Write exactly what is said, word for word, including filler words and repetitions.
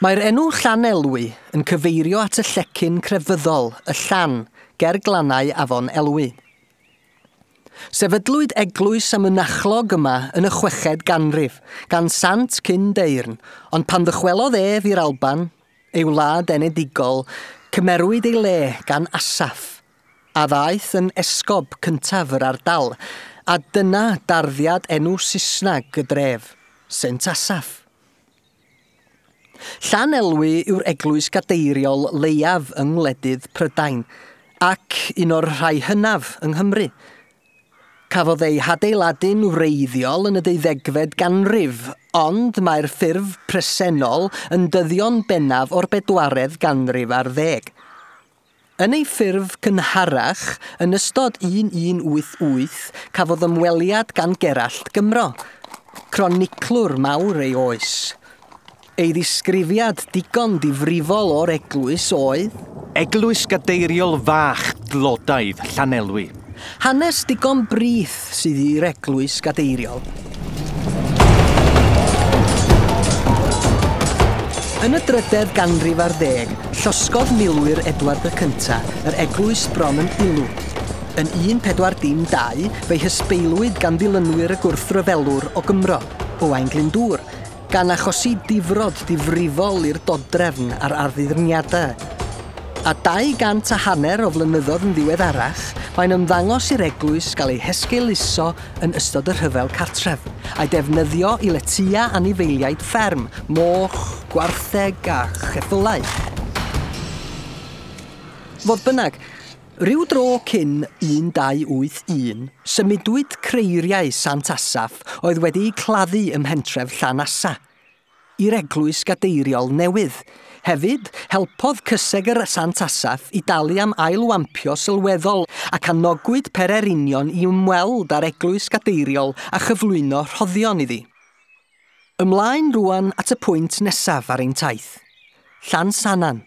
Mae'r enw Llanelwy yn cyfeirio at y llecyn crefyddol, y Llan, ger glannau afon Elwy. Sefydlwyd eglwys a mynachlog yma yn y chweched ganrif, gan Sant Cyndeyrn, ond pan ddychwelodd ef i'r Alban, ei wlad enedigol, cymerwyd ei le gan Asaph, a ddaeth yn esgob cyntaf yr ardal, a dyna darddiad enw Saesnag y dref, Saint Asaph. Llanelwy yw'r eglwys gadeiriol leiaf yng ngwledydd Prydain, ac un o'r rhai hynaf yng Nghymru. Cafodd ei hadeiladu'n wreiddiol yn y deuddegfed ganrif, ond mae'r ffurf presennol yn dyddio'n bennaf o'r bedwaredd ganrif ar ddeg. Yn ei ffurf cynharach, yn ystod un un wyth wyth, cafodd ymweliad gan Gerallt Gymro, croniclwr mawr ei oes. Ei ddisgrifiad digon difrifol o'r eglwys oedd Eglwys gadeiriol fach dlodaidd Llanelwy. Hanes digon brith sydd i'r eglwys gadeiriol. Yn y drydedd ganrif ar ddeg, llosgodd milwyr Edward y Cynta yr eglwys bron yn ulw. Yn un pedwar dim dau, fe'i hysbeilwyd gan ddilynwyr y gwrthryfelwr o Gymro, Owain Glyndŵr, gan achosi difrod difrifol i'r dodrefn a'r arddurniadau. A dau gant a hanner o flynyddoedd yn ddiweddarach, mae'n ymddangos i'r eglwys gael ei hesgeuluso yn ystod y rhyfel cartref, a'i defnyddio i letia anifeiliaid fferm, moch, gwartheg a cheffylau. Fodd bynnag, ryw dro cyn un dau wyth un, symudwyd creiriau Sant Asaph oedd wedi'u claddu ym mhentref Llanasa i'r eglwys gadeiriol newydd. Hefyd, helpodd cysegr Sant Asaph i dalu am ailwampio sylweddol ac anogwyd pererinion i ymweld â'r eglwys gadeiriol a chyflwyno rhoddion iddi. Ymlaen rŵan at y pwynt nesaf ar ein taith, Llansannan.